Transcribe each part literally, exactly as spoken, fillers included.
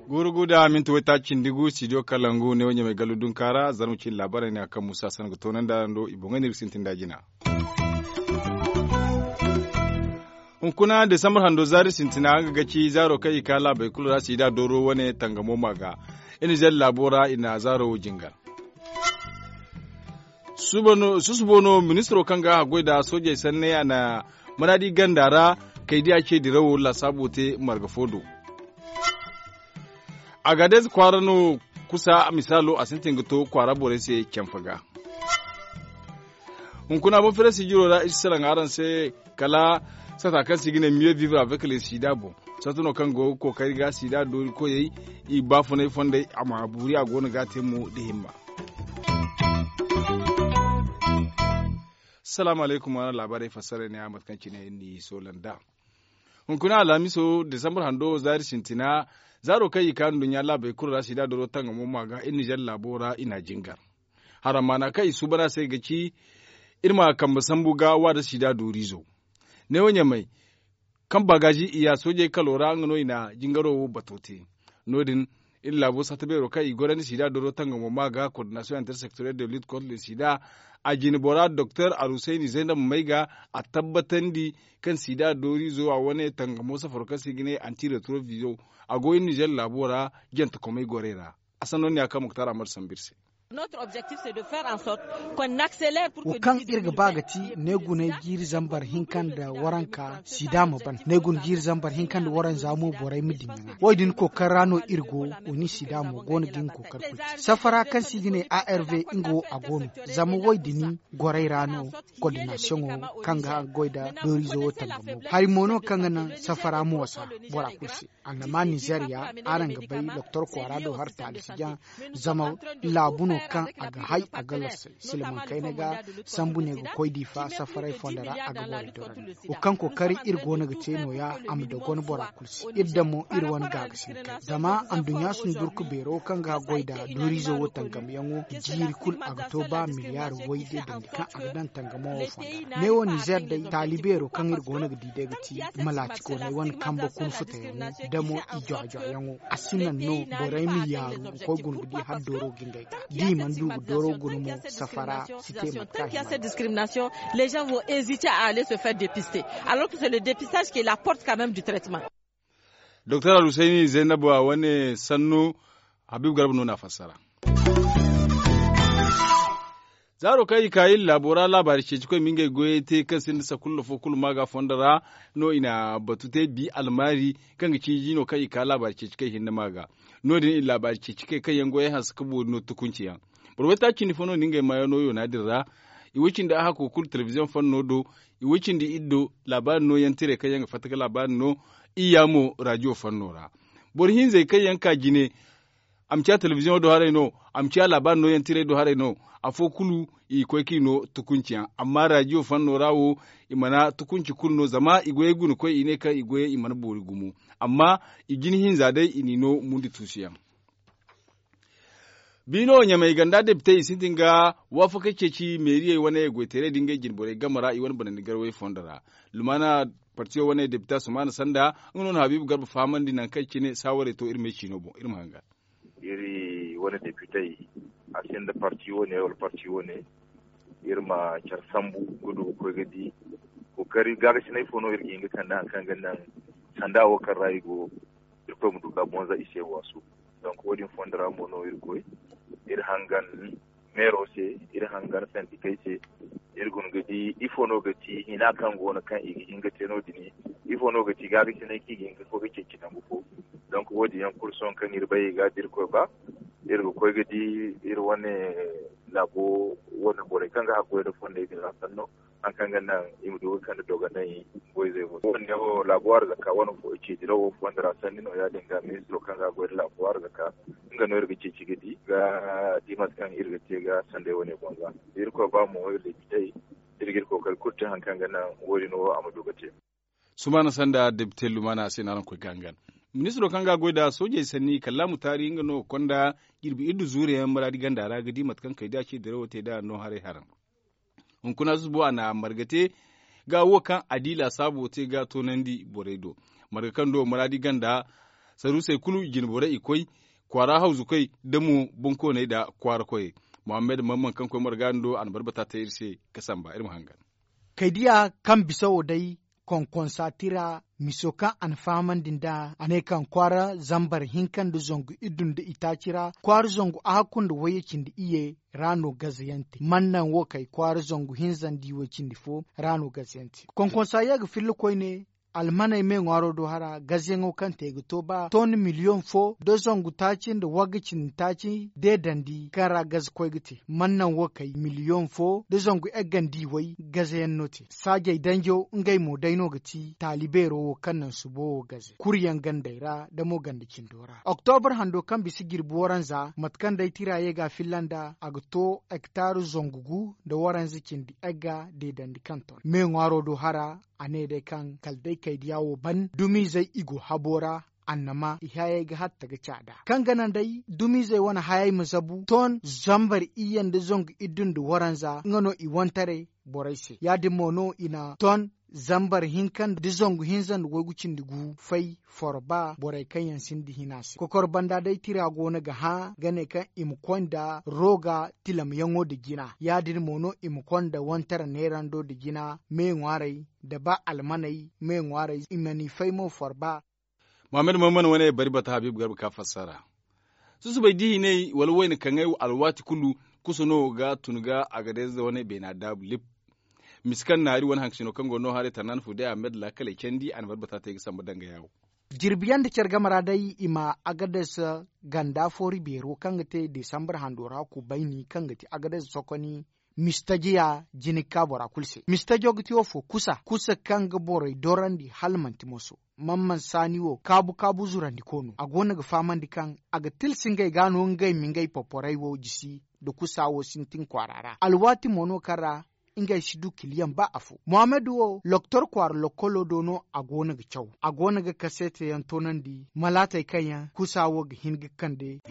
Guuru gu da minti waytaaci cindi gu studio kalangu ne wo ɲamay gallu dunka ra zarma cindi laabaarey ne a kaŋ musa sanda ga toonandi araŋ do i boŋey no iri ga sintin da jina. Hunkuna desambar hando zaari sintina nga ga ci zaaro kaŋ i ka laabey kulu ra siida dooro wane tangamo ma ga. Iri nizer laabo ra i na zaaro wo jingar. Susubo no ministiro kaŋ ga a goy nda soojey sanney a na manaadi ganda ra kay di a ce dirawo laasaabu te marga fo do. Agadez kwaara no kusa misaalo a sintin ga to kwaara borey se canfa ga. Hunkuna boŋ fere sijiro ra iri si salaŋ araŋ se kala sata kaŋ se i ga ne mieux vivre avec le sida boŋ. Sata no kaŋ go ga kookari ga sida doori koyey i baafunay fondey a ma buuri a go no ga a te mo da himma. Salaamu alaykum araŋ laabaarey fassarey ne a mate kaŋ cine iri n'i soola nd'a. Hunkuna alhamiso desambar hando zaari sintina zaaro kaŋ i ka nduɲɲa laabey kulu ra sida dooro tangamo ma ga iri nizer laabo ra i n'a jingar. Haramaana kaŋ i suuban a se ga ci iri ma kambe sambu ga waada sida dooriizo. Neewo ɲamay kaŋ baagaazi i ya soojey kalo ra nga no i na jingaro wo bato te. No- din iri laabo satta beero kaŋ i gorandi sida dooro tangamo ma ga koordinasiyoŋ intersectoriel de lit contre le sida. A jine bora doktor arusayni zaynab may ga a tabbatandi kaŋ sida dooriizo a wane tangamo safaro kaŋ se i ga ne anti retrovizo a go iri nizer laabo ra jantakomey gorey ra. A sanno ne ya kaŋ muktar amadu sambu iri se. Wo kaŋ iri ga ba ga ti neeguney jiiri zambar hinka nda waranka sida ma ban neegun jiiri zambar hinka nda waranza mo borey ma diŋ ga ŋwa wo- din kookari ra no iri go. Wo- ni sida mo go no ga nga kookari kulu te safara kaŋ se i ga ne arv nga wo a go no. Zama wo- din gorey ra no koordinasiyoŋo kaŋ ga goy nda dooriizo wo tangamo hari mo no kaŋ ga naŋ safara moosa bora kulu se. Annama nizeeriya araŋ ga bay doktor kwaara do hari taali si jaŋ. Zama laabu no kaŋ a ga hay a ga lassay silmaŋ kayna ga sambu ne ga koy diifa safaray fonda ra a ga borey dorandi wo kaŋ kookari iri go no ga te no- ya a ma dogon bora kulu se iri daŋ mo iri wane gaagasinka zama anduɲɲa sundurku beero kaŋ ga goy nda dooriizo wo tangam yaŋo jiiri kulu a ga to ba miliyaari wayde dandi kaŋ a ga daŋ tangamo wo fonda ra ne wo nizeer day taali beero kaŋ iri go no ga di day ga ti malaacikooney wane kambe kulu futayaŋo da mo i jwa-jwayaŋo a si naŋ no borey ma yaaru ga koy guna ga di hala dooro ga ngey ga da i mana du ga dooro guna mo safara si te mate kaŋ a hima. Discrimination les gens vont hésiter à aller se faire dépister alors que c'est le dépistage qui est la porte quand même du traitement. Doktor alhusayni zaynabu a wane sannu habiibu garba no na fassara. Zaaro kaŋ i ka iri laabo ra laabaari ceeci koy ma ngey goyey te kaŋ sinda sakulla fo kulu ma ga fondo ra no i na batu te bi almaari kaŋ ga ci iji no kaŋ i ka laabaari ceeci kay hinne ma ga. No- din i laabaari ceeci kay kaŋ yaŋ goyey hanse ka boori no tukunci yaŋ. Boro waytaaci cindi fo no na ngey maayaŋ no yoona din ra. I way cindi a hako kulu telebiziyoŋ fanno do. I way cindi iri do laabaari nooyaŋ tirey kaŋ yaŋ ga fatta ga laabaari no. Iyya mo rajiyo fanno ra boro hinzey kaŋ yaŋ ka jine. A ma ciya telebiziyoŋo do haray no. A ma ciya laabaari nooyaŋ tirey do haray no. Afo kulu i ga koy kaŋ i no tukunci yaŋ amma rajiyo fanno ra wo i mana tukunci kulu no zama i goyey guna koy i ne kaŋ i goyey i mana boori gumo. Amma i jina hinza day i n'i no mundi tuusu yaŋ. Biino ɲamay ganda depitey i sintin ga waafakey ceeci meeriyey wane goytaray da ngey jinborey game ra i wane banandi garawey fondo ra. Lumaana partiyo wane depita sumaana sanda nga no na habiibu garba fahamandi nangu kaŋ cine saawarey to iri ma ay ciino boŋ iri ma hangan. Iri wane depitey a sinda parti wane wala parti wane iri ma care sambu ga du ga koy ga di. Kookari gaagasinay fo no iri ga hin ga kande hari kaŋ ga naŋ sanda wo kaŋ ra i go. Irkoy ma du ga bonza i se waasu. Donk wo- din fondo ra mo no iri koy iri hangan meero se, iri hangan sandikey se. Iri guna ga di ifo no ga ti hina kaŋ go no kaŋ i ga hin ga te no- din? Ifo no ga ti gaagasinay kaŋ i ga hin ga koy ga ceeci nangu fo? Donk wo- din yaŋ kulu sohõ kaŋ iri bay i ga da irkoy ba iri ga koy ga di iri wane laabo wane borey kaŋ ga haggoy nda fondey din ra sanno. Hari kaŋ ga naŋ i ma du ga kande dogonay. Boyzey mo wo- ne wo laabo arzaka wane fo ceeci dirawo fondo ra sanni no ya- din ga ministiro kaŋ ga goy nda laabo arzaka nga no iri ga ceeci ga di ga di mate kaŋ iri ga te ga sanday wane boŋ ga. Irkoy ba mo iri depitey iri ga iri kookari kulu te hari kaŋ ga naŋ wo- din wo a ma du ga te. Sumaana sanda depite lumaana se no araŋ koy ga hangan. Ministiro kaŋ ga a goy nd'a soojey sanni kallaamu taari nga no ga konda jirbi iddu zuure yaŋ maraadi ganda ra ga di mate kaŋ kaydiya ce dirawo te nd'a no haray haran. Hunkuna zubo a na marga te ga wo kaŋ a di laasaabo te ga toonandi borey do. Marga kaŋ do maraadi ganda saruusey kulu jinborey i koy kwaara hawzukoy da mo bonkooney nda kwaara koyey. Muhammad mamman kaŋ koy marga din do a na barbata te iri se ga samba iri ma hangan. Kaydiya kaŋ bisa wo day konkonsa tira miso kaŋ a na fahamandi nd'a a ne kaŋ kwaara zambar hinka nda zangu iddu nda itaaci ra kwaara zangu ahakku nda wayye cindi iyye ra no gazayaŋ te mannaŋ wo kay kwaara zangu hinza nda iway cindi fo ra no gazayaŋ te. Konkonsa ye ga filla koyne almaney me ŋwaaro do hara gazayaŋo kaŋ te ga to ba ton miliyoŋ fo da zangu taaci nda wagga cindi taaci deedandi kaŋ ra gaza koy ga te mannaŋ wo kay miliyoŋ fo da zangu egga nda iway gazayaŋ no te. Saajey danjo ngey mo day no ga ti taali beero wo kaŋ naŋ subo wo gaze kuryaŋ gandey ra da mo ganda cindo ra oktobar hando kaŋ bisa jirbi waranza mate kaŋ day tira ye ga a filla nd'a a ga to hektar zangu gu nda waranza cindi egga deedandi kaŋ ton me ŋwaaro do hara. A ne day kaŋ kala day kaydiya wo ban dumizey i go habo ra annama i hayey ga hatta ga caada kaŋ ga naŋ day dumizey wane hayey ma zabu ton zambar iyye nda zangu iddu nda waranza nga no i wantaray borey se ya- din mo no i na ton zambar hinka nda zangu hinza nda waygu cindi gu fay forba borey kaŋ yaŋ sinda hina se kokor banda day tira go no ga hã ga ne kaŋ i ma koy nda rooga tilamyaŋo nda jina ya- din mo no i ma koy nda wantara neerando nda jina me ŋwaarey nda ba almaney me ŋwaarey i ma n'i fay mo forba. Muhammad muhammad wane bari bata habiibu garba ka fassara susubay dihiney wala wayna kaŋay alwaati kulu kusa no ga tun ga a ga day za wane beena daabu lib. Misi kaŋ naari wane hankasino kaŋ go no haray tarnaani fo day a ma mayda laakaley candi a na bari bata te ga samba danga yaawo. Jirbi yaŋ nda care game ra day i ma agades ganda foori beero kaŋ ga te desambar hando ra kubayni kaŋ ga ti agades sokoni mistajiya jina ga ka bora kulu se mistajo ga ti wo fo kusa kusa kaŋ ga borey dorandi hala manti moso. Mamman saani wo kaabu kaabu zurandi koono a go no ga fahamandi kaŋ a ga tilsi ngey ga no ngey ma ngey poporey wo jisi nda kusa wo sintin kwaara ra alwaati mo no kaŋ ra ngey si du kiliyaŋ ba afo muhammadu wo loktor kwaara lokkolo do no a go no ga caw a go no ga kaseete yaŋ toonandi malaatey kaŋ yaŋ kusa wo ga hin ga kande.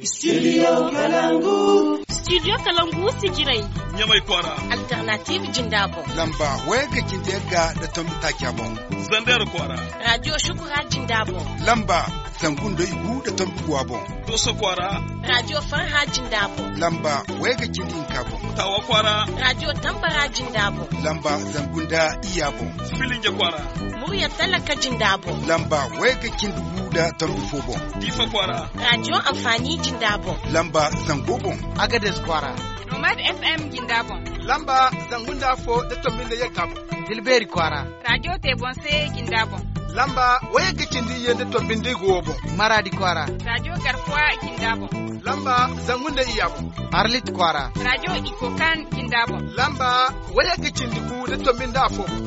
Studio kalangu sijirey ɲamay kwaara. Alternative jinda boŋ lamba waya ga cindi yagga nda tombi taaca boŋ. Zander kwaara. Radio shukura jinda boŋ lamba zangu nda igu nda tombi guwa boŋ. Doso kwaara. Radio farha jinda boŋ lamba waya ga cindi hinka boŋ. Tawa kwaara. Radio tambara jinda boŋ lamba zangu nda iyya boŋ. Filinje kwaara. Murya talaka jinda boŋ lamba waya ga cindi gu nda tombi fo boŋ. Diifa kwaara. Radio amfani jinda boŋ lamba zango boŋ. Agades kwaara. Nomad fm jinda boŋ lamba zangu nda afo nda tombi nda yagga boŋ. Tilbeeri kwaara. Radio te boŋ se jinda boŋ lamba waya ga cindi iyye nda tombi nda igu wo boŋ. Maraadi kwaara. Radio garkuwa jinda boŋ lamba zangu nda iyya boŋ. Arlit kwaara. Radio ikokan jinda boŋ lamba waya ga cindi gu nda tombi nda afo boŋ.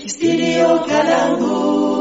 Studio kalangu.